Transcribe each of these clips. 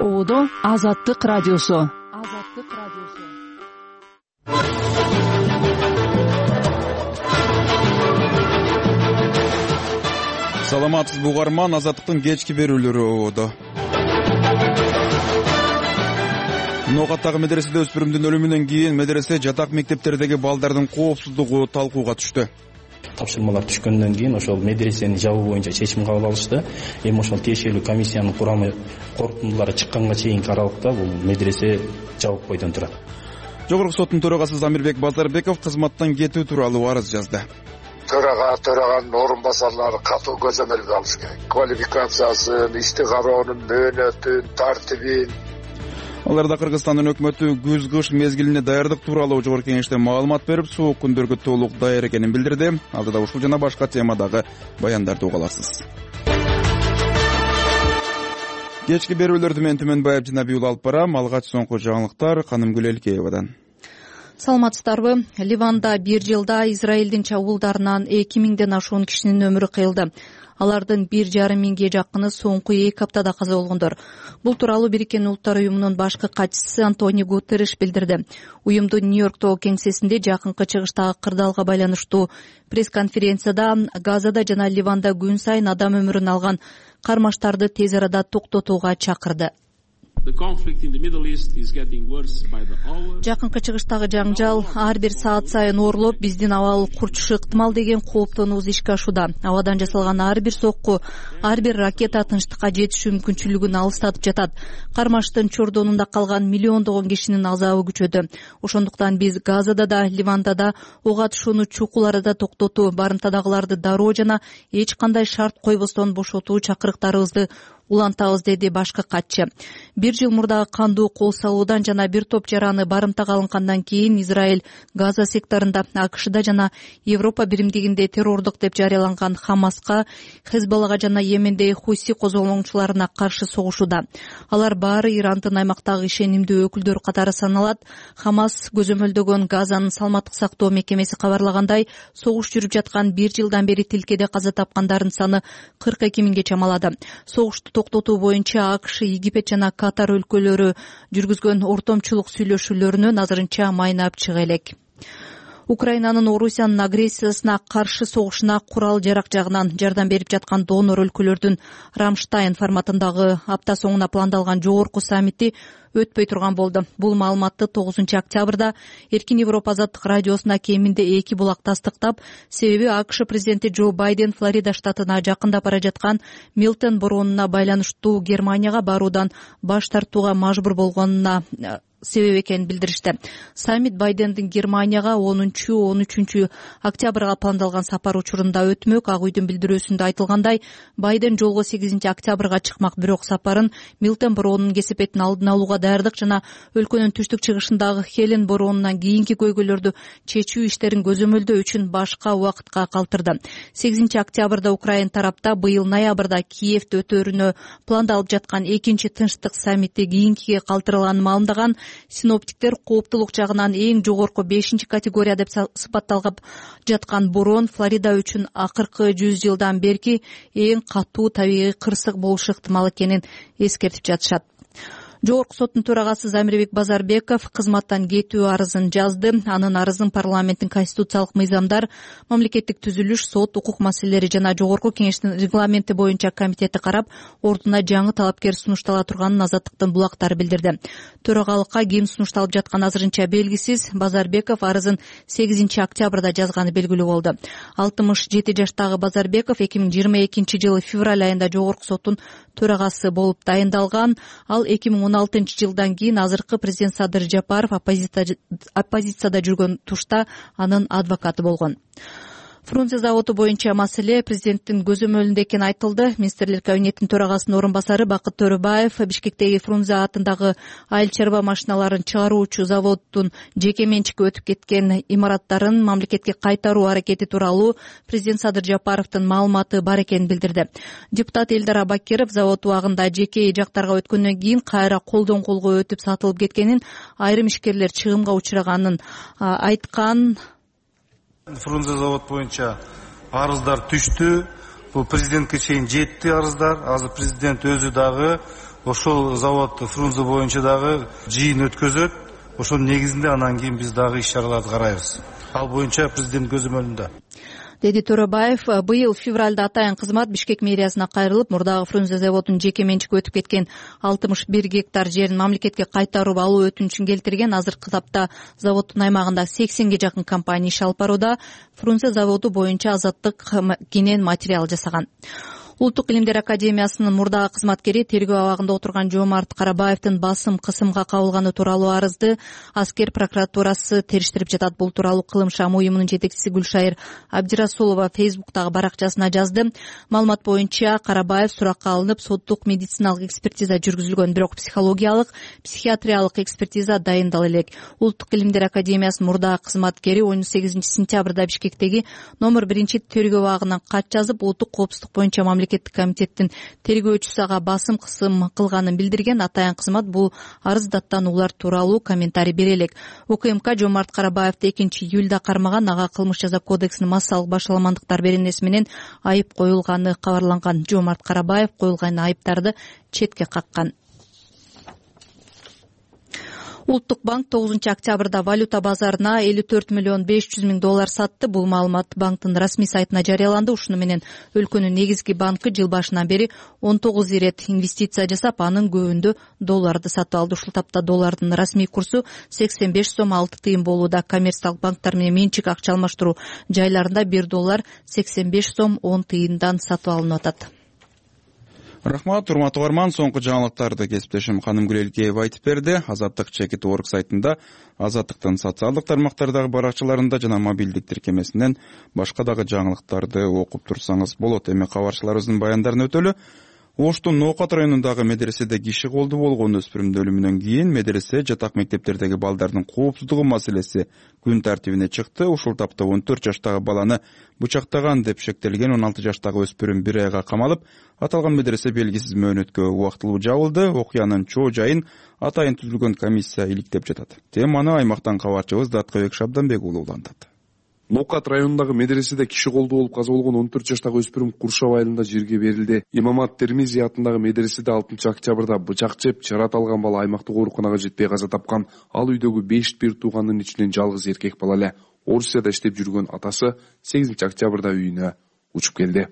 Оодо Азаттык радиосу. Саламатсызбы угарман, Азаттыктын кечки берүүлөрү оодо. Ноогаттагы медреседе өспүрүмдүн өлүмүнөн кийин медресе жатак мектептердеги балдардын коопсуздугу талкууга түштү. Тапшырмалар түшкөндөн кийин ошол медресени жабуу боюнча чечим кабыл алышты. Эми ошол тиешелүү комиссиянын курамы корутундулары чыкканга чейинки аралыкта бул медресе жабык бойдон турат. Жогорку соттун төрагасы Замирбек Базарбеков кызматтан кетүү тууралуу арыз жазды. Төраганын орун басарлары катуу көзөмөлгө алыш керек. Квалификациясын, ишти кароонун мөөнөтүн, тартибин. Аларда Кыргызстандын өкмөтү күз-кыш мезгилине даярдык тууралуу жогорку кеңеште маалымат берип, суук күндөргө толук даяр экенин билдирди. Алдыда ушул жана башка темадагы баяндарды уга аласыз. Кечки берүүлөрдү мен Түмөнбаев жана Биюл алып барам. Алгач соңку жаңылыктар Канымгүл Элкеевадан. Саламатсыздарбы? Ливанда бир жылда Израилдин чабуулдарынан 2000ден ашуун кишинин өмүрү кыйылды. Алардын 1,5 жакыны соңку 2 аптада каза болгондор. Бул тууралуу Бириккен Улуттар уюмунун башкы катчысы Антонио Гутерриш билдирди. Уюмдун Нью-Йорктогу кеңсесинде жакынкы чыгыштагы кырдаалга байланыштуу пресс-конференцияда Газада жана Ливанда күн сайын адам өмүрүн алган кармаштарды тез арада токтотууга чакырды. Жакынкы чыгыштагы жаңжал ар бир саат сайын ooрлоп, биздин абал курчушу ыктымал деген кооптонуубуз ишке ашууда. Абадан жасалган ар бир сокку, ар бир ракета тынчтыкка жетишүү мүмкүнчүлүгүн алыстатып жатат. Кармаштын чордонунда калган миллиондогон кишинин азабы күчөдү. Ошондуктан биз Газада да, Ливанда да ок атышууну чукул арада токтотуу, барымтадагыларды дароо жана эч кандай шарт койбостон бошотуу чакырыктарыбызды улантабыз, деди башкы катчы. Бир жыл мурда кандуу кол салуудан жана бир топ жараны барымтага алынгандан кийин Израиль Газа секторунда, АКШда жана Европа биримдигинде террордук деп жарыяланган Хамаска, Хезболлага жана Йеменде Хуси козголоңчуларына каршы согушууда. Алар баары Ирандын аймактагы ишенимдүү өкүлдөрү катары саналат. Хамас көзөмөлдөгөн Газанын саламаттык сактоо мекемеси кабарлагандай, согуш жүрүп жаткан бир жылдан бери тилкеде каза тапкандардын саны 42 миңге чамалады. Согушту токтотуу боюнча АКШ, Египет жана Катар өлкөлөрү жүргүзгөн ортомчулук сүйлөшүүлөрүнөн азырынча майнап чыга элек. Украинанын Орусиянын агрессиясына каршы согушуна курал-жарак жагынан жардам берип жаткан донор өлкөлөрдүн Рамштайн форматындагы апта соңуна пландалган жогорку саммити өтпөй турган болду. Бул маалыматты 9-октябрда Эркин Европа азаттык радиосуна кеминде 2 булак тастыктап, себеби АКШ президенти Джо Байден Флорида штатына жакындап бара жаткан Милтон боронуна байланыштуу Германияга баруудан баш тартууга мажбур болгонуна себеп экенин билдиришти. Саммит Байдендин Германияга 10-13 октябрга пландалган сапар учурунда өтмөк. Ак үйдүн билдирүүсүндө айтылгандай, Байден жолго 8-октябрга чыкмак, бирок сапарын Милтон боронунун кесепетин алдын алууга даярдык жана өлкөнүн түштүк чыгышындагы Хелен боронунан кийинки көйгөйлөрдү чечүү иштерин көзөмөлдөө үчүн башка убакытка калтырды. 8-октябрда Украин тарапта быйыл ноябрда Киевде өтөрүнө пландалып жаткан экинчи тынчтык саммити кийинкиге калтырылганын маалымдаган. Синоптиктер кооптулук жагынан эң жогорку 5-категория деп сыпатталган жаткан борон Флорида үчүн акыркы 100 жылдан берки эң катуу табигый кырсык болушу ыктымал экенин эскертип жатышат. Жогорку соттун төрагасы Замирбек Базарбеков кызматтан кетүү арызын жазды. Анын арызын парламенттин конституциялык мыйзамдар, мамлекеттик түзүлүш, сот, укук маселелери жана жогорку кеңештин регламенти боюнча комитети карап, ордуна жаңы талапкер сунуштала турганын Азаттыктын булактары билдирди. Төрагалыкка ким сунушталып жатканы азырынча белгисиз. Базарбеков арызын 8-октябрда жазганы белгилүү болду. 67 жаштагы Базарбеков 2022 жылы февраль айында жогорку соттун төрагасы болуп дайындалган. Ал 2016 жылдан кийин азыркы президент Садыр Жапаров оппозицияда жүргөн тушта анын адвокаты болгон. Фрунзе заводу боюнча маселе президенттин көзөмөлүндө экени айтылды. Министрлер кабинетинин төрагасынын орун басары Бакыт Төрөбаев Бишкектеги Фрунзе атындагы айыл чарба машиналарын чыгаруучу заводдун жеке менчикке өтүп кеткен имараттарын мамлекетке кайтаруу аракети тууралуу президент Садыр Жапаровдун маалыматы бар экенин билдирди. Депутат Элдар Абакиров завод убагында жеке жактарга өткөндөн кийин кайра колдон колго өтүп сатылып кеткенин, айрым ишкерлер чыгымга учураганын айткан. Фрунзе завод боюнча арыздар түштү. Бул президентке чейин жетти арыздар. Азыр президент өзү дагы ошол завод Фрунзе боюнча дагы жыйын өткөзөт. Ошонун негизинде анан кийин биз дагы иш-чараларды карайбыз. Ал боюнча президент көзөмөлүндө. Деди Төрөбаев. Быйыл февралда атайын кызмат Бишкек мэриясына кайрылып, мурдагы Фрунзе заводунун жеке менчикке өтүп кеткен 61 гектар жерин мамлекетке кайтарып алуу өтүнүчүн келтирген. Азыркы тапта заводдун аймагында 80ге жакын компания иш алып барууда. Фрунзе заводу боюнча Азаттык кенен материал жасаган. Улуттук илимдер академиясынын мурдагы кызматкери тергөө абагында отурган Жомарт Карабаевдин басым кысымга кабылганы тууралуу арызды аскер прокуратурасы териштирип жатат. Бул тууралуу Кылым Шам уюмунун жетекчиси Гүлшайыр Абдирасулова Фейсбуктагы баракчасына жазды. Маалымат боюнча Карабаев суракка алынып, соттук медициналык экспертиза жүргүзүлгөн, бирок психологиялык, психиатриялык экспертиза дайындала элек. Улуттук илимдер академиясынын мурдагы кызматкери 18 сентябрда Бишкектеги номер 1 тергөө абагынан кат жазып, улуттук коопсуздук боюнча мамлекеттик комитеттин тергөөчүсү ага басым кысым кылганын билдирген. Атайын кызмат бул арыз даттануулар тууралуу комментарий бере элек. УКМК Жомарт Карабаевди 2-июлда кармаган. Ага кылмыш жаза кодексинин массалык башаламандыктар беренеси менен айып коюлганы кабарланган. Жомарт Карабаев коюлган айыптарды четке каккан. Улуттук банк 9-октябрда валюта базарына 54 миллион 500 миң доллар сатты. Бул маалымат банктын расмий сайтына жарыяланды. Ушуну менен өлкөнүн негизги банкы жыл башынан бери 19 ирет инвестиция жасап, анын көбүндө долларды сатып алды. Ушул тапта доллардын расмий курсу 85 сом 6 тыйын болууда. Коммерциялык банктар менен менчик акча алмаштыруу жайларында 1 доллар 85 сом 10 тыйындан сатып алынып атат. Рахмат, урматтуу угарман. Соңку жаңылыктарды кесиптешим Канымгүл Элкеева айтып берди. Азаттык Чекит.org сайтында, Азаттыктын социалдык тармактардагы баракчаларында жана мобилдик тиркемесинен башка дагы жаңылыктарды окуп турсаңыз болот. Эми кабарчыларыбыздын баяндарын өтөлү. Оштун Ноокат районундагы медреседе киши колду болгон өспүрүмдүн өлүмүнөн кийин медресе жатак мектептердеги балдардын коопсуздугу маселеси күн тартибине чыкты. Ушул тапта 14 жаштагы баланы бычактаган деп шектелген 16 жаштагы өспүрүм 1 айга камалып, аталган медресе белгисиз мөөнөткө убактылуу жабылды. Окуянын чоо жайын атайын түзүлгөн комиссия иликтеп жатат. Теманы аймактан кабарчыбыз Даткабек Шабданбек уулу улантат. Ноокат районундагы медреседе киши колду болуп каза болгон 14 жаштагы өспүрүм Куршап айылында жерге берилди. Имамат Термизи атындагы медреседе 6 октябрда бычак жеп жарат алган бала аймактык ооруканага жетпей каза тапкан. Ал үйдөгү 5 бир тууганын ичинен жалгыз эркек бала эле. Орусияда иштеп жүргөн атасы 8 октябрда үйүнө учуп келди.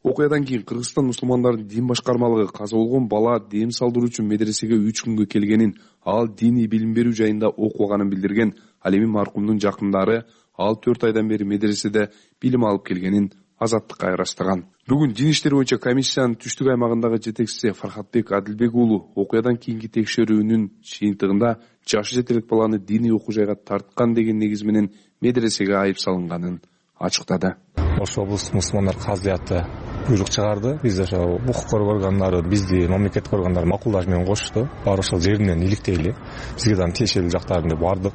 Окуядан кийин Кыргызстан мусулмандардын дин башкармалыгы каза болгон бала дем салдыруу үчүн медресеге 3 күнгө келгенин, ал диний билим берүү жайында окуганын билдирген. Ал эми маркумдун жакындары ал 4 айдан бери медреседе билим алып келгенин Азаттыкка ырастаган. Бүгүн дин иштери боюнча комиссиянын түштүк аймагындагы жетекчиси Фархатбек Адилбек уулу окуядан кийинки текшерүүнүн жыйынтыгында жашы жете элек баланы диний окуу жайга тарткан деген негиз менен медресеге айып салынганын ачыктады. Ош облустук мусулмандар казыяты буйрук чыгарды. Биз ошо укук коргоо органдары, бизди мамлекеттик органдар макулдаш менен кошту. Баары ошол жеринен иликтейли. Бизге да тиешелүү жактарында бардык.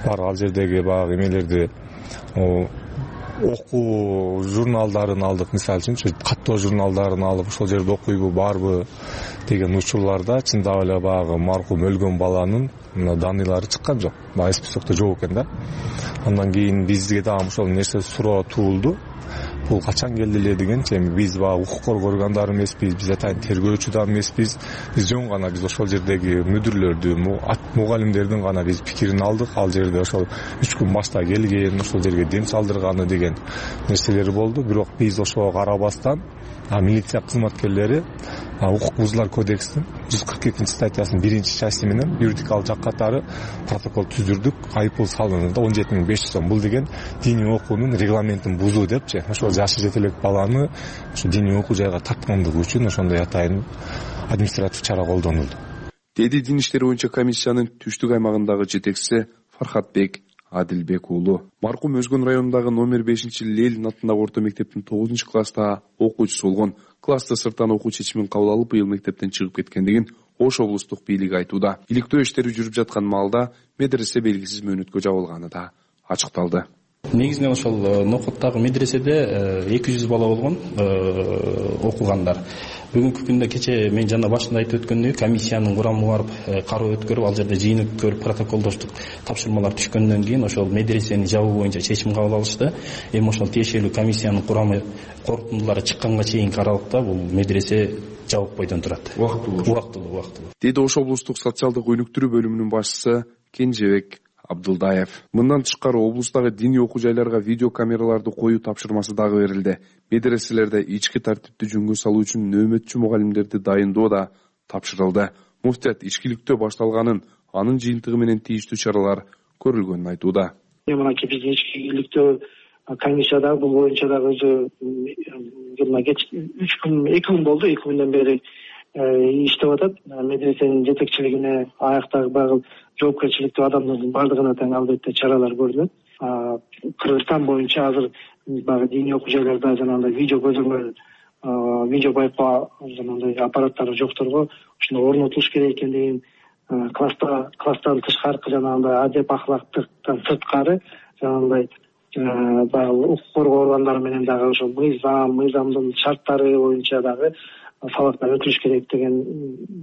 Ал жердеги баягы эмелерди окуу журналдарын алдык. Мисалы үчүн каттоо журналдарын алып ошол жерде окуйбу барбы деген учурларда чындап эле баягы маркум өлгөн баланын даныйлары чыккан жок. Баягы списокто жок экен да. Андан кийин бизге дагы ошол нерсе суроо туулду. Бул качан келди эле дегенче, биз баягы укук коргоо органдары эмеспиз, биз атайын тергөөчү да эмеспиз. Биз жөн гана биз ошол жердеги мүдүрлөрдү, мугалимдердин гана биз пикирин алдык. Ал жерде ошол 3 күн башта келген, ошол жерге дем салдырганы деген нерселер болду. Бирок биз ошого карабастан милиция кызматкерлери укук бузуулар кодексинин 142-статьясынын 1-части менен юридикалык жак катары протокол түзүрдүк. Айыппул салынды 17.500 сом. Бул деген диний окуунун регламентин бузуу депчи. Ошол жашы жете элек баланы ошо диний окуу жайга тарткандыгы үчүн ошондой атайын административ чара колдонулду. Деди дин иштери боюнча комиссиянын түштүк аймагындагы жетекчиси Фархатбек Адилбек уулу. Маркум Өзгөн районундагы номер 5 Ленин атындагы орто мектептин 9-класста окуучусу болгон. Класста сырттан окуу чечимин кабыл алып, быйыл мектептен чыгып кеткендигин Ош облустук бийлиги айтууда. Иликтөө иштери жүрүп жаткан маалда медресе белгисиз мөөнөткө жабылганы да ачыкталды. Негизинен ошол Нокоттагы медреседе 200 бала болгон окугандар. Бүгүнкү күндө кече мен жана башында айтып өткөндөй комиссиянын курамы барып кароо өткөрүп, ал жерде жыйын өткөрүп, протоколдоштук тапшырмалар түшкөндөн кийин ошол медресени жабуу боюнча чечим кабыл алышты. Эми ошол тиешелүү комиссиянын курамы корутундулары чыкканга чейинки аралыкта бул медресе жабык бойдон турат. Убактылуу. Деди Ош облустук социалдык өнүктүрүү бөлүмүнүн башчысы Кенжебек Абдулдаев. Мындан тышкары облустагы диний окуу жайларга видео камераларды коюу тапшырмасы дагы берилди. Медреселерде ички тартипти жөнгө салуу үчүн нөөмөтчү мугалимдерди дайындоо да тапшырылды. Муфтият ичкиликтөө башталганын, анын жыйынтыгы менен тийиштүү чаралар көрүлгөнүн айтууда. Мынакей биздин ичкиликтөө комиссия дагы бул боюнча дагы өзү жылына 2 күн болду. 2 күндөн бери иштеп атат. Медресенин жетекчилигине аяктагы жоопкерчиликтүү адамдардын бардыгына тең албетте чаралар көрүлөт. Кыргызстан боюнча азыр баягы диний окуу жайларда жанагындай видео көзөмөл, видео байкоо жанагындай аппараттары жокторго ушуну орнотулуш керек экендигин, класстан тышкаркы жанагындай адеп ахлактыктан сырткары жанагындай баягы укук коргоо органдары менен дагы ошол мыйзамдын шарттары боюнча дагы сабактар өтүлүш керек деген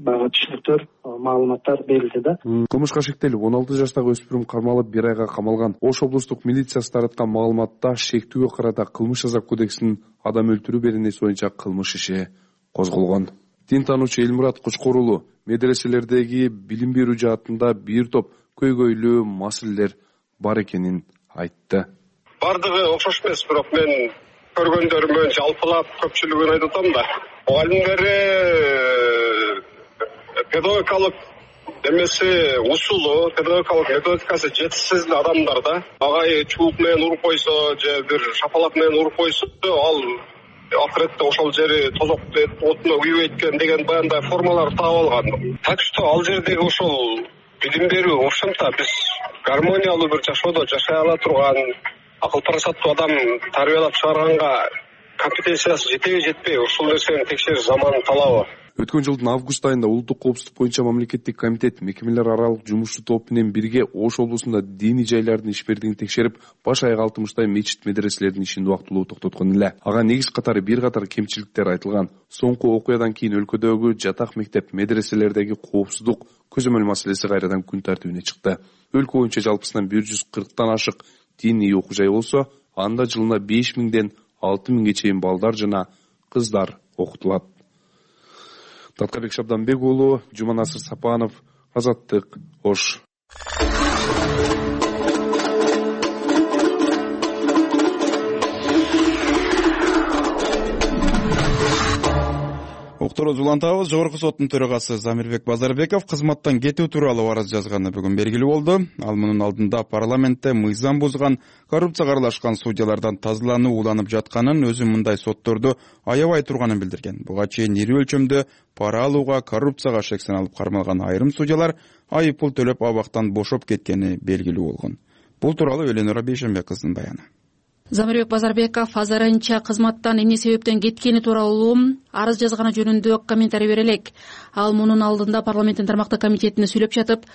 баягы түшүнүктөр, маалыматтар берилди да. Кылмышка шектелип 16 жаштагы өспүрүм кармалып 1 айга камалган. Ош облустук милициясы тараткан маалыматта шектүүгө карата Кылмыш жаза кодексинин адам өлтүрүү беренеси боюнча кылмыш иши козголгон. Дин таануучу Элмурат Кучкор уулу медреселердеги билим берүү жаатында бир топ көйгөйлүү маселелер бар экенин айтты. Бардыгы окшош эмес, бирок мен көргөндөрүмөн жалпылап көпчүлүгүн айтып атам да. Мугалимдери педагогикалык эмеси усулу, педагогикалык методикасы жетишсиз адамдар да. Агай чубук менен уруп койсо же бир шапалак менен уруп койсо, ал акыретте ошол жери тозок отуна күйбөйт экен деген баягындай формалар таап алган. Так что ал жердеги ошол билим берүү, в общем-то биз гармониялуу бир жашоодо жашай ала турган акыл парасаттуу адам тарбиялап чыгарганга компетенциясы жетеби жетпей, ушул нерсени текшериш заманын талабы. Өткөн жылдын август айында улуттук коопсуздук боюнча мамлекеттик комитет мекемелер аралык жумушчу топ менен бирге Ош облусунда диний жайлардын ишбердигин текшерип, баш аяга 60 мечит медреселердин ишин убактылуу токтоткон эле. Ага негиз катары бир катар кемчиликтер айтылган. Соңку окуядан кийин өлкөдөгү жатак мектеп медреселердеги коопсуздук көзөмөл маселеси кайрадан күн тартибине чыкты. Өлкө боюнча жалпысынан 140тан ашык диний окуу жай болсо, анда жылына 5000ден 6000ге чейин балдар жана кыздар окутулат. Таткарбек Шабданбек уулу, Жуманасыр Сапанов, Азаттык, Ош. Уктуруз улантабыз. Жогорку соттун төрагасы Замирбек Базарбеков кызматтан кетүү тууралуу арыз жазганы бүгүн белгилүү болду. Ал мунун алдында парламентте мыйзам бузган, коррупцияга аралашкан судьялардан тазалануу уланып жатканын, өзү мындай сотторду аябай турганын билдирген. Буга чейин ири өлчөмдө пара алууга, коррупцияга шексен алып кармалган айрым судьялар айып пул төлөп абактан бошоп кеткени белгилүү болгон. Бул тууралуу Эленора Бейшенбек кыздын баяны. Замирбек Базарбеков азырынча кызматтан эмне себептен кеткени тууралуу арыз жазганы жөнүндө комментарий бере элек. Ал мунун алдында парламенттин тармактык комитетине сүйлөп жатып,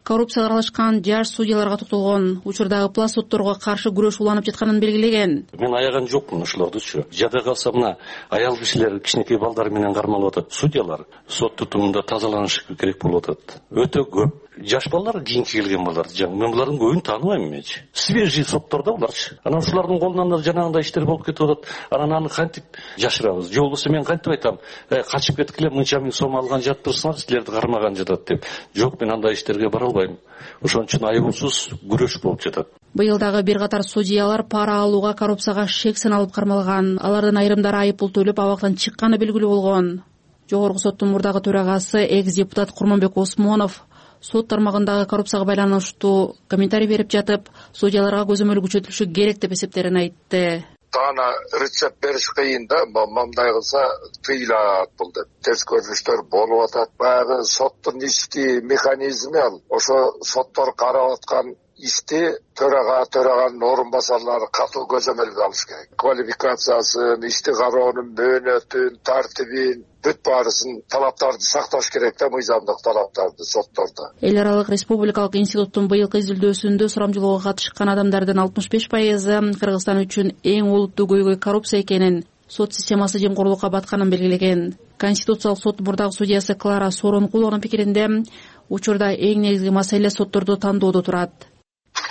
коррупцияга аралашкан жаш судьяларга токтолгон учурдагы пласт сотторго каршы күрөш уланып жатканын белгилеген. Мен аяган жокмун ошолордучу. Жада калса мына аял кишилер кичинекей балдар менен кармалып атат. Судьялар сот тутумунда тазаланышы керек болуп атат. Өтө көп. Жаш балдар кийинки келген балдар. Мен булардын көбүн тааныбайм менчи. Свежий соттордо буларчы. Анан ушулардын колунан да жанагындай иштер болуп кетип атат. Анан аны кантип жашырабыз? Же болбосо мен кантип айтам? Качып кеткиле, мынча миң сом алган жатырсыңар, силерди кармаган жатат деп. Жок, мен андай иштерге бара албайм. Ошон үчүн айыгуусуз күрөш болуп жатат. Быйыл дагы бир катар судьялар пара алууга, коррупцияга шексен алып кармалган. Алардын айрымдары айып пул төлөп абактан чыкканы белгилүү болгон. Жогорку соттун мурдагы төрагасы экс-депутат Курманбек Осмонов сот тармагындагы коррупцияга байланыштуу комментарий берип жатып, судьяларга көзөмөл күчөтүлүшү керек деп эсептерин айтты. Тана рецепт бериш кыйын да, мындай кылса тыйылат бул деп. Терс көрүнүштөр болуп атат. Баягы соттун ички механизми ал. Ошо соттор карап аткан ишти төраган орун басарлары катуу көзөмөлгө алыш керек. Квалификациясын, ишти кароонун мөөнөтүн, тартибин, бүт баарысын талаптарды сакташ керек да, мыйзамдык талаптарды соттордо. Эл аралык республикалык институттун быйылкы изилдөөсүндө сурамжылоого катышкан адамдардын 65% Кыргызстан үчүн эң олуттуу көйгөй коррупция экенин, сот системасы жемкорлукка батканын белгилеген. Конституциялык сот мурдагы судьясы Клара Соронкулованын пикиринде учурда эң негизги маселе сотторду тандоодо турат.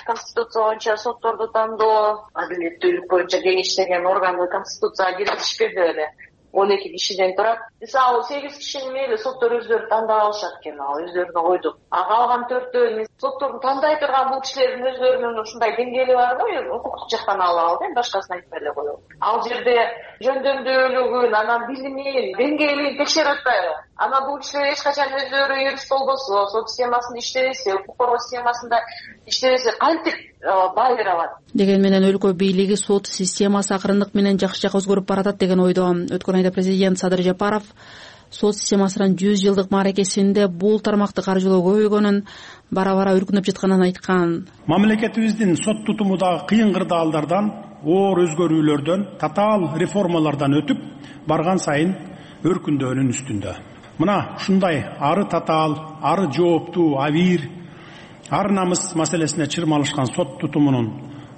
Конституция боюнча сотторду тандоо, адилеттүүлүк боюнча кеңештеген органды конституцияга киргизишпи беле. 12 кишиден турат. Мисалы 8 кишини мейли соттор өздөрү тандап алышат экен, ал өздөрүнө койдук. А калган 4-өө сотторду тандай турган бул кишилердин өздөрүнүн ушундай деңгээли бар го, укуктук жактан алалы, башкасын айтпай эле коелу. Ал жерде жөндөмдүүлүгүн, анан билимин, деңгээлин текшерип атпайбы? Ана бул кишилер эч качан өздөрү юрист болбосо, сот системасында иштебесе, укук коргоо системасында иштебесе, кантип баа бере алат? Деген менен өлкө бийлиги сот системасы акырындык менен жакшы жакка өзгөрүп баратат деген ойдо. Өткөн айда президент Садыр Жапаров сот системасынын 100 жылдык мааракесинде бул тармакты каржылоо көбөйгөнүн, бара-бара үркүнүп жатканын айткан. Мамлекетибиздин сот тутуму дагы кыйын кырдаалдардан, оор өзгөрүүлөрдөн, татаал реформалардан өтүп барган сайын өркүндөөнүн үстүндө. Мына ушундай ары татаал, ары жооптуу, авир, ар намыс маселесине чырмалышкан сот тутумунун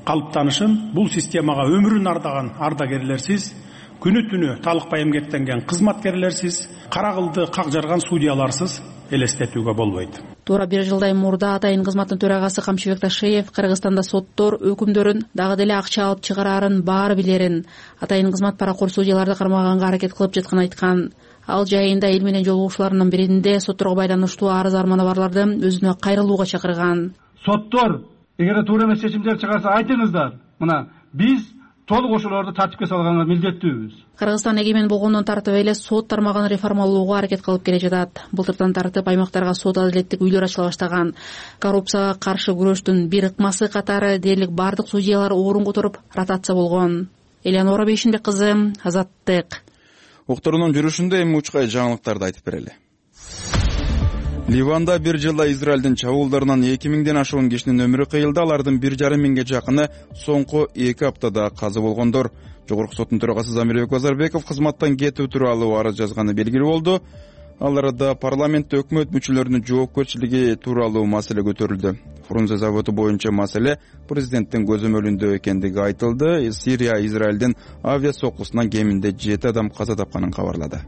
калыптанышын бул системага өмүрүн ардаган ардагерлерсиз, күнү түнү талыкпай эмгектенген кызматкерлерсиз, кара кылды как жарган судьяларсыз элестетүүгө болбойт. Туура 1 жылдай мурда атайын кызматтын төрагасы Камчыбек Ташиев Кыргызстанда соттор өкүмдөрүн дагы деле акча алып чыгарарын баары билерин, атайын кызмат паракор судьяларды кармаганга аракет кылып жатканын айткан. Ал жайында эл менен жолугушууларынын биринде сотторго байланыштуу арыз арманы барларды өзүнө кайрылууга чакырган. Соттор эгер туура эмес чечимдер чыгарса айтыңыздар. Мына биз толук ошолорду тартипке салганга милдеттүүбүз. Кыргызстан эгемен болгондон тартып эле сот тармагын реформалоого аракет кылып келе жатат. Былтырдан тартып аймактарга сот адилеттик үйлөр ачыла баштаган. Коррупцияга каршы күрөштүн бир ыкмасы катары дээрлик бардык судьялар орун которуп ротация болгон. Элеонора Бейшинбек кызы, Азаттык. Уктурунун жүрүшүндө эми учкай жаңылыктарды айтып берели. Ливанда 1 жылда Израилдин чабуулдарынан 2000ден ашуун кишинин өмүрү кыйылды. Алардын 1,5 миңге жакыны соңку 2 аптада каза болгондор. Жогорку соттун төрагасы Замирбек Базарбеков кызматтан кетүү тууралуу арыз жазганы белгилүү болду. Аларда парламентте өкмөт мүчөлөрүнүн жоопкерчилиги тууралуу маселе көтөрүлдү. Фрунзе заводу боюнча маселе президенттин көзөмөлүндө экендиги айтылды. Сирия Израилдин авиа соккусунан кеминде 7 адам каза тапканын кабарлады.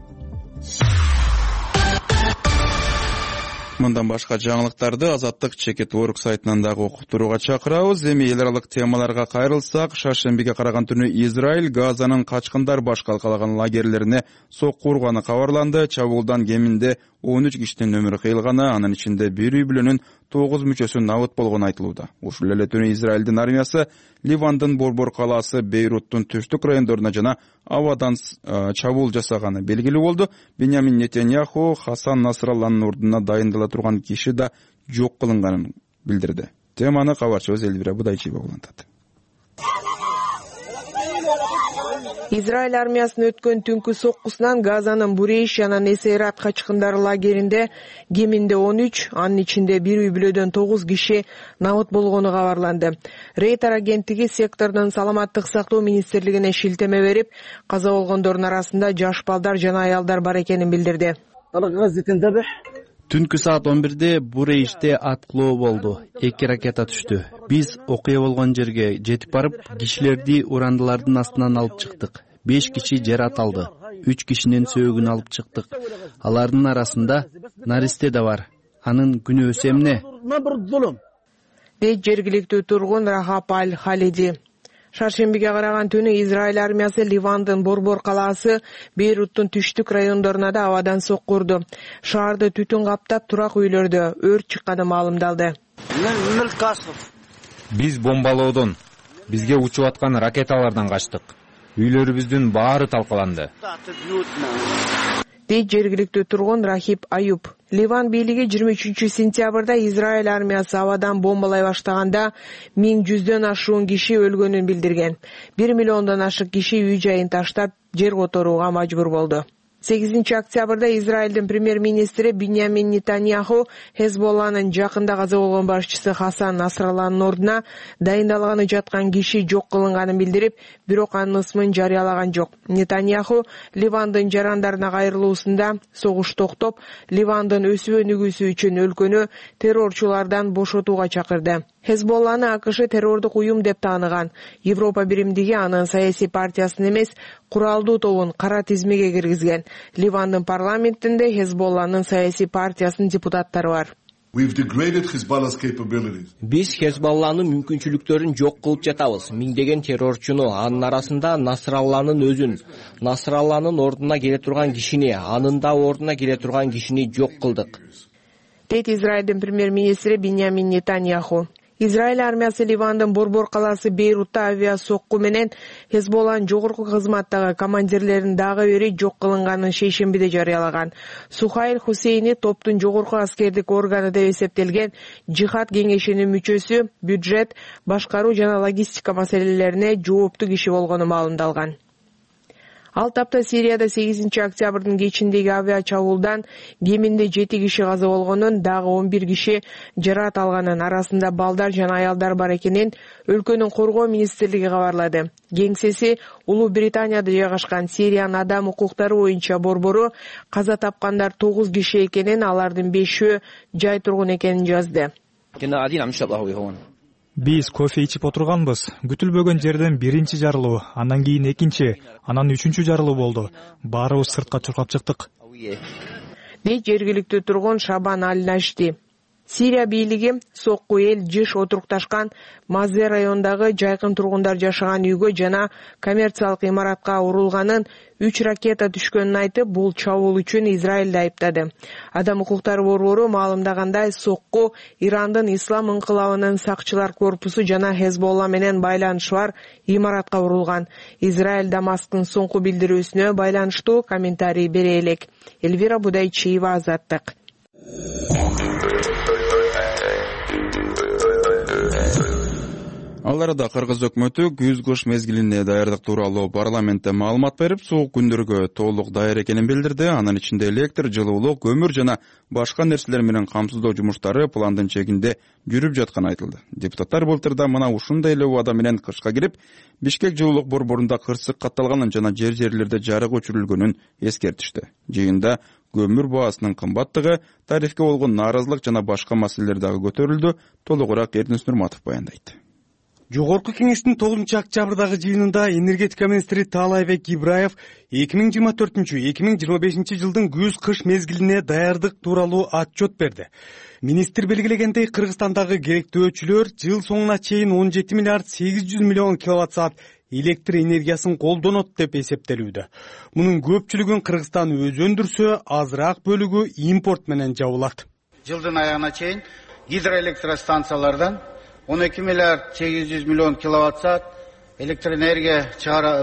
Мындан башка жаңылыктарды Азаттык Чекит.org сайтынан дагы окуптурууга чакырабыз. Эми эл аралык темаларга кайрылсак, шаршембиге караган түнү Израиль Газанын качкындар баш калкалаган лагерлерине сокку урганы кабарланды. Чабуулдан кеминде 13 кишинин өмүрү кыйылганы, анын ичинде бир үй бүлөнүн 9 мүчөсү набыт болгону айтылууда. Ушул эле түнү Израилдин армиясы Ливандын Борбор калаасы Бейруттун түштүк райондоруна жана абадан чабуул жасаганы белгилүү болду. Беньямин Нетаньяху Хасан Насралланын ордуна дайындала турган киши да жок кылынганын билдирди. Теманы кабарчыбыз Элвира Будайчиева улантат. Израиль армиясынын өткөн түнкү соккусунан Газанын Бурейш жана Несейрат качкындар лагеринде кеминде 13, анын ичинде бир үй бүлөдөн 9 киши набыт болгону кабарланды. Рейтер агенттиги сектордун саламаттык сактоо министрлигине шилтеме берип, каза болгондордун арасында жаш балдар жана аялдар бар экенин билдирди. Түнкү саат 11-де Бурейште аткылоо болду. 2 ракета түштү. Биз окуя болгон жерге жетип барып, кишилерди урандылардын астынан алып чыктык. 5 киши жарат алды. 3 кишинин сөөгүн алып чыктык. Алардын арасында наристе да бар. Анын күнөөсү эмне? Дейт жергиликтүү тургун Рахап Аль-Халиди. Шаршембиге караган түнү Израиль армиясы Ливандын Борбор калаасы Бейруттун түштүк райондоруна да абадан сокку урду. Шаарды түтүн каптап, турак үйлөрдө өрт чыкканы маалымдалды. Биз бомбалоодон, бизге учуп аткан ракеталардан качтык. Үйлөрүбүздүн баары талкаланды. Дейт жергиликтүү тургун Рахип Аюб. Ливан бийлиги 23 сентябрда Израиль армиясы абадан бомбалай баштаганда 1100дөн ашуун киши өлгөнүн билдирген. 1 миллиондон ашык киши үй жайын таштап жер которууга мажбур болду. 8-октябрда Израилдин премьер-министри Биньямин Нетаньяху Хезболланын жакында каза болгон башчысы Хасан Насралланын ордуна дайындалганы жаткан киши жок кылынганын билдирип, бирок анын ысмын жарыялаган жок. Нетаньяху Ливандын жарандарына кайрылуусунда согуш токтоп, Ливандын өсүп өнүгүүсү үчүн өлкөнү террорчулардан бошотууга чакырды. Хезболланы АКШ террордук уюм деп тааныган. Европа биримдиги анын саясий партиясын эмес, куралдуу тобун кара тизмеге киргизген. Ливандын парламентинде Хезболланын саясий партиясынын депутаттары бар. Биз Хезболланын мүмкүнчүлүктөрүн жок кылып жатабыз. Миңдеген террорчуну, анын арасында Насралланын өзүн, Насралланын ордуна келе турган кишини, анын да ордуна келе турган кишини жок кылдык. Дейт Израилдин премьер-министри Биньямин Нетаньяху. Израиль армиясы Ливандын Борбор калаасы Бейрутта авиа сокку менен Хезболланын жогорку кызматтагы командирлерин дагы бери жок кылынганын шейшембиде жарыялаган. Сухайл Хусейни топтун жогорку аскердик органы деп эсептелген Жихад кеңешинин мүчөсү, бюджет, башкаруу жана логистика маселелерине жооптуу киши болгону маалымдалган. Ал тапта Сирияда 8-октябрдын кечиндеги авиа чабуулдан кеминде 7 киши каза болгонун, дагы 11 киши жараат алганын, арасында балдар жана аялдар бар экенин өлкөнүн коргоо министрлиги кабарлады. Кеңсеси Улуу Британияда жайгашкан Сириянын адам укуктары боюнча борбору каза тапкандар 9 киши экенин, алардын 5-өө жай тургун экенин жазды. Биз кофе ичип отурганбыз. Күтүлбөгөн жерден биринчи жарылуу, андан кийин экинчи, анан үчүнчү жарылуу болду. Баарыбыз сыртка чуркап чыктык. Дейт жергиликтүү тургун Шабан Аль-Нашти. Сирия бийлиги сокку эл жыш отурукташкан Мазе районундагы жайкын тургундар жашаган үйгө жана коммерциялык имаратка урулганын, 3 ракета түшкөнүн айтып, бул чабуул үчүн Израилди айыптады. Адам укуктары борбору маалымдагандай, сокку Ирандын Ислам ыңкылабынын сакчылар корпусу жана Хезболла менен байланышы бар имаратка урулган. Израиль Дамасктын соңку билдирүүсүнө байланыштуу комментарий бере элек. Элвира Будайчиева, Азаттык. Ал арада Кыргыз өкмөтү күз кыш мезгилине даярдык тууралуу парламентте маалымат берип, суук күндөргө толук даяр экенин билдирди. Анын ичинде электр, жылуулук, көмүр жана башка нерселер менен камсыздоо жумуштары пландын чегинде жүрүп жатканы айтылды. Депутаттар былтырда мына ушундай эле убада менен кышка кирип, Бишкек жылуулук борборунда кырсык катталганын жана жерлерде жарык өчүрүлгөнүн эскертишти. Жыйында көмүр баасынын кымбаттыгы, тарифке болгон нааразылык жана башка маселелер дагы көтөрүлдү. Толугураак Эрдинис Нурматов баяндайт. Жогорку кеңештин 9-октябрдагы жыйынында энергетика министри Таалайбек Ибраев 2024-2025 жылдын күз-кыш мезгилине даярдык тууралуу отчет берди. Министр белгилегендей, Кыргызстандагы керектөөчүлөр жыл соңуна чейин 17 миллиард 800 миллион киловатт-саат электр энергиясын колдонот деп эсептелүүдө. Мунун көпчүлүгүн Кыргызстан өзү өндүрсө, азыраак бөлүгү импорт менен жабылат. Жылдын аягына чейин гидроэлектростанциялардан 12 миллиард 800 миллион киловатт-саат электроэнергия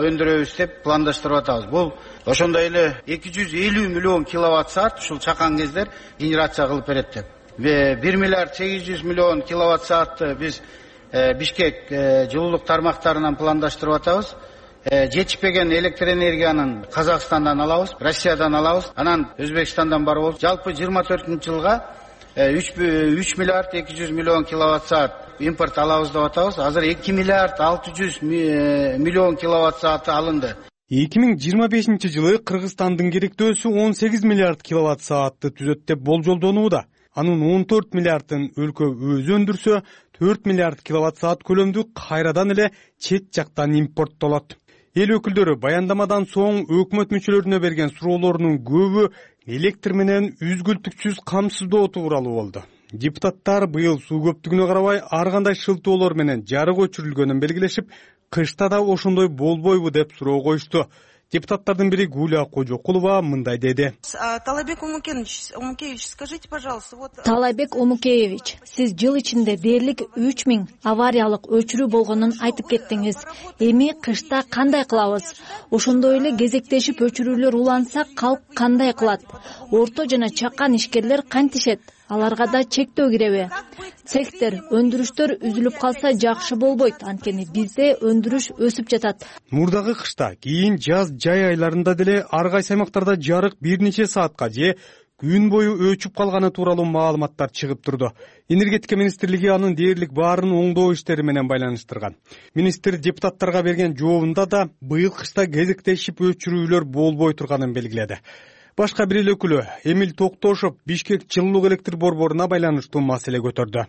өндүрөбүз деп пландаштырып атабыз. Бул ошондой эле 250 миллион киловатт-саат ушул чакан кездер генерация кылып берет деп. 1 миллиард 800 миллион киловатт-саатты биз Бишкек жылуулук тармактарынан пландаштырып атабыз. Жетишпеген электроэнергиянын Казакстандан алабыз, Россиядан алабыз, анан Өзбекстандан бар болуп, жалпы 24-жылга 3 миллиард 200 миллион киловатт-саат импорт алабыз деп атабыз. Азыр 2 миллиард 600 миллион киловатт-сааты алынды. 2025 жылы Кыргызстандын керектөөсү 18 миллиард киловатт-саатты түзөт деп болжолдонууда. Анын 14 миллиардын өлкө өзү өндүрсө, 4 миллиард киловатт-саат көлөмдүү кайрадан эле чет жактан импорттолот. Эл өкүлдөрү баяндамадан соң өкмөт мүчөлөрүнө берген суроолорунун көбү электр менен үзгүлтүксүз камсыздоо тууралуу болду. Депутаттар быйыл суу көптүгүнө карабай ар кандай шылтоолор менен жарык өчүрүлгөнүн белгилешип, кышта да ошондой болбойбу деп суроо коюшту. Депутаттардын бири Гуля Кожокулова мындай деди. Таалайбек Омукеевич, скажите, пожалуйста, вот... Таалайбек Омукеевич, сиз жыл ичинде дээрлик 3000 авариялык өчүрүү болгонун айтып кеттиңиз. Эми кышта кандай кылабыз? Ошондой эле кезектешип өчүрүүлөр уланса, калк кандай кылат? Орто жана чакан ишкерлер кантишет? аларга да чектөө киреби? Цехтер, өндүрүштөр үзүлүп калса жакшы болбойт, анткени бизде өндүрүш өсүп жатат. Мурдагы кышта, кийин жаз жай айларында деле ар кайсы аймактарда жарык бир нече саатка же күн бою өчүп калганы тууралуу маалыматтар чыгып турду. Энергетика министрлиги анын дээрлик баарын оңдоо иштери менен байланыштырган. Министр депутаттарга берген жообунда да быйыл кышта кезектешип өчүрүүлөр болбой турганын белгиледи. Башка бир эл өкүлү Эмил Токтошов Бишкек жылуулук электр борборуна байланыштуу маселе көтөрдү.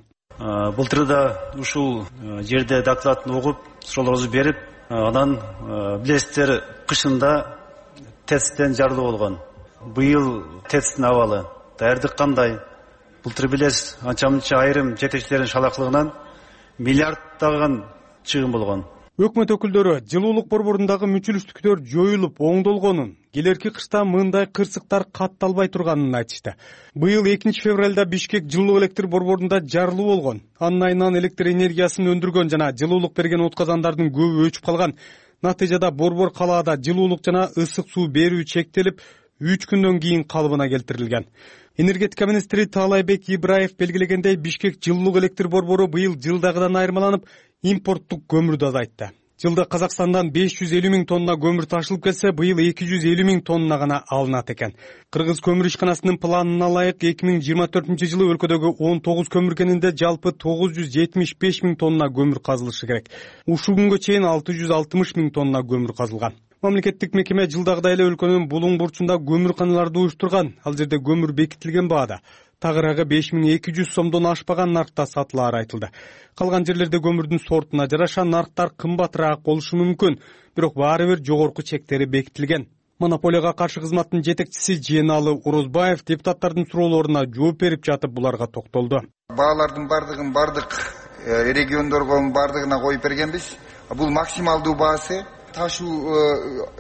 Былтыр да ушул жерде докладын угуп, суроолорубузду берип, анан билесиздер кышында ТЭЦтен жарылуу болгон. Быйыл ТЭЦтин абалы даярдык кандай? Былтыр билесиз, анча мынча айрым жетекчилердин шалаклыгынан миллиарддаган чыгым болгон. Өкмөт өкүлдөрү жылуулук борборундагы мүчүлүштүктөр жоюлуп оңдолгонун, келерки кышта мындай кырсыктар катталбай турганын айтышты. Быйыл 2 февралда Бишкек жылуулук электр борборунда жарылуу болгон. Анын айынан электр энергиясын өндүргөн жана жылуулук берген отказандардын көбү өчүп калган. Натыйжада борбор калаада жылуулук жана ысык суу берүү чектелип, 3 күндөн кийин калыбына келтирилген. Энергетика министри Таалайбек Ибраев белгилегендей, Бишкек жылуулук электр борбору быйыл жылдагыдан айырмаланып, импорттук көмүрдү азайтты. Жылда Казакстандан 550 000 тонна көмүр ташылып келсе, быйыл 250 000 тонна гана алынат экен. Кыргыз көмүр ишканасынын планына ылайык 2024 жылы өлкөдөгү 19 көмүр кенинде жалпы 975 000 тонна көмүр казылышы керек. Ушул күнгө чейин 660 000 тонна көмүр казылган. Мамлекеттик мекеме жылдагыдай эле өлкөнүн булуң бурчунда көмүрканаларды уюштурган. Ал жерде көмүр бекитилген баада. Тагыраагы 5200 сомдон ашпаган наркта сатылары айтылды. Калган жерлерде көмүрдүн сортуна жараша нарктар кымбатыраак болушу мүмкүн, бирок баары бир жогорку чектери бекитилген. Монополияга каршы кызматтын жетекчиси Жeenалы Орозбаев депутаттардын суроолоруна жооп берип жатып буларга токтолду. Баалардын бардыгын бардык региондорго бардыгына коюп бергенбиз. Бул максималдуу баасы. Ташуу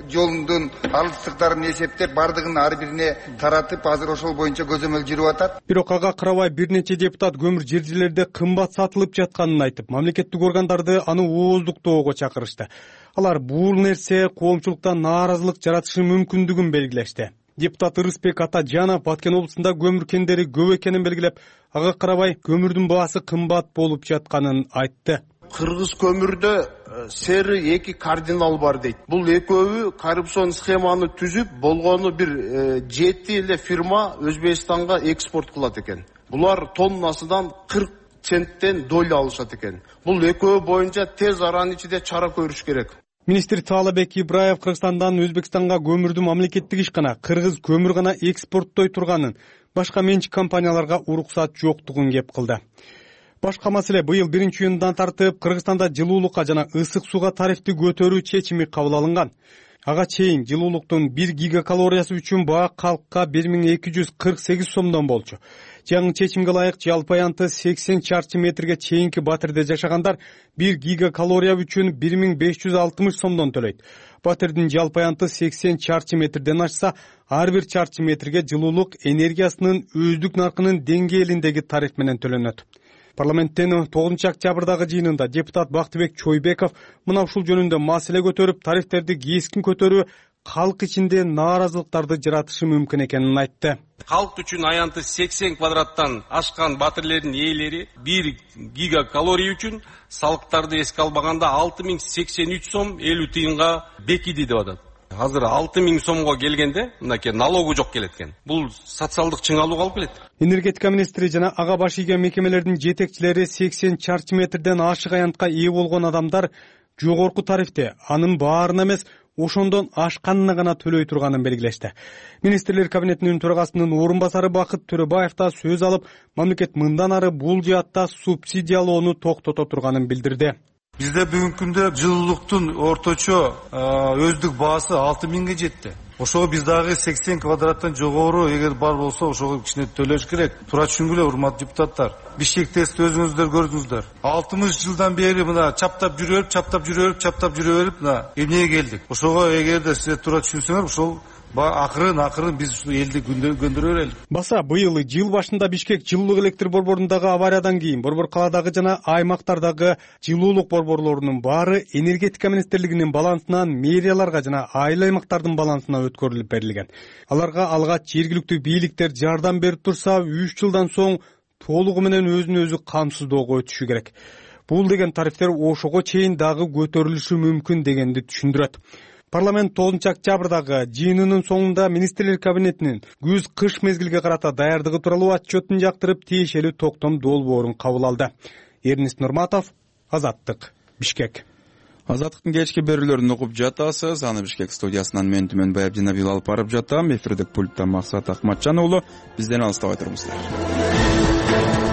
жолундун алыстыктарын эсептеп, бардыгын ар бирине таратып, азыр ошол боюнча көзөмөл жүрүп атат. Бирок ага карабай бир нече депутат көмүр жер-жерлерде кымбат сатылып жатканын айтып, мамлекеттик органдарды аны ооздуктоого чакырышты. Алар бул нерсе коомчулукта нааразылык жаратышы мүмкүндүгүн белгилешти. Депутат Ырысбек Атажанов Баткен облусунда көмүр кендери көп экенин белгилеп, ага карабай көмүрдүн баасы кымбат болуп жатканын айтты. Кыргыз көмүрдө сери эки кардинал бар дейт. Бул экөөбү коррупцион схеманы түзүп, болгону бир 7 эле фирма Өзбекстанга экспорт кылат экен. Булар тоннасынан 40 центтен доля алышат экен. Бул экөө боюнча тез аранын ичинде чара көрүш керек. Министр Таалайбек Ибраев Кыргызстандан Өзбекстанга көмүрдү мамлекеттик ишкана Кыргыз көмүр гана экспорттой турганын, башка менчик компанияларга уруксат жоктугун кеп кылды. Башка маселе, быйыл 1-июндан тартып Кыргызстанда жылуулукка жана ысык сууга тарифти көтөрүү чечими кабыл алынган. Ага чейин жылуулуктун 1 гигакалориясы үчүн баа калкка 1248 сомдон болчу. Жаңы чечимге ылайык жалпы аянты 80 чарчы метрге чейинки батирде жашагандар 1 гигакалория үчүн 1560 сомдон төлөйт. Батирдин жалпы аянты 80 чарчы метрден ашса, ар бир чарчы метрге жылуулук энергиясынын өздүк наркынын деңгээлиндеги тариф менен төлөнөт. Парламенттен 9 октябрдагы жыйынында депутат Бактыбек Чойбеков мына ушул жөнүндө маселе көтөрүп, тарифтерди кескин көтөрүү калк ичинде нааразылыктарды жаратышы мүмкүн экенин айтты. Калк үчүн аянты 80 квадраттан ашкан батирлердин ээлери 1 гигакалория үчүн салыктарды эске албаганда 6083 сом 50 тыйынга бекиди деп атат. Азыр 6000 сомго келгенде, мынакей налогу жок келет экен. Бул социалдык чыңалууга алып келет. Энергетика министри жана ага баш ийген мекемелердин жетекчилери 80 чарчы метрден ашык аянтка ээ болгон адамдар жогорку тарифте, анын баарына эмес, ошондон ашканына гана төлөй турганын белгилешти. Министрлер кабинетинин төрагасынын орун басары Бакыт Төрөбаев да сөз алып, мамлекет мындан ары бул жаатта субсидиялоону токтото турганын билдирди. Бизде бүгүнкү күндө жылуулуктун орточо өздүк баасы 6000ге жетти. Ошого биз дагы 80 квадраттан жогору эгер бар болсо ошого кичине төлөш керек. Туура түшүнгүлө, урматтуу депутаттар. Бишкекте өзүңүздөр көрдүңүздөр. 60 жылдан бери мына чаптап жүрүп, мына эмнеге келдик. Ошого эгерде сиздер туура түшүнсөңөр, ошол акырын биз ушул элди көндүрө берели. Баса быйыл жыл башында Бишкек жылуулук электр борборундагы авариядан кийин борбор каладагы жана аймактардагы жылуулук борборлорунун баары энергетика министрлигинин балансынан мэрияларга жана айыл аймактардын балансына өткөрүлүп берилген. Аларга алгач жергиликтүү бийликтер жардам берип турса, 3 жылдан соң толугу менен өзүн өзү камсыздоого өтүшү керек. Бул деген тарифтер ошого чейин дагы көтөрүлүшү мүмкүн дегенди түшүндүрөт. Парламент 9 октябрдагы жыйынынын соңунда министрлер кабинетинин күз-кыш мезгилге карата даярдыгы тууралуу отчетун жактырып, тиешелүү токтом долбоорун кабыл алды. Эрнис Нурматов, Азаттык, Бишкек. Азаттыктын кечки берүүлөрүн угуп жатасыз. Аны Бишкек студиясынан мен Түмөнбаев Жанабил алып барып жатам. Эфирдик пульттан Максат Акматжан уулу. Бизден алыстабай туруңуздар.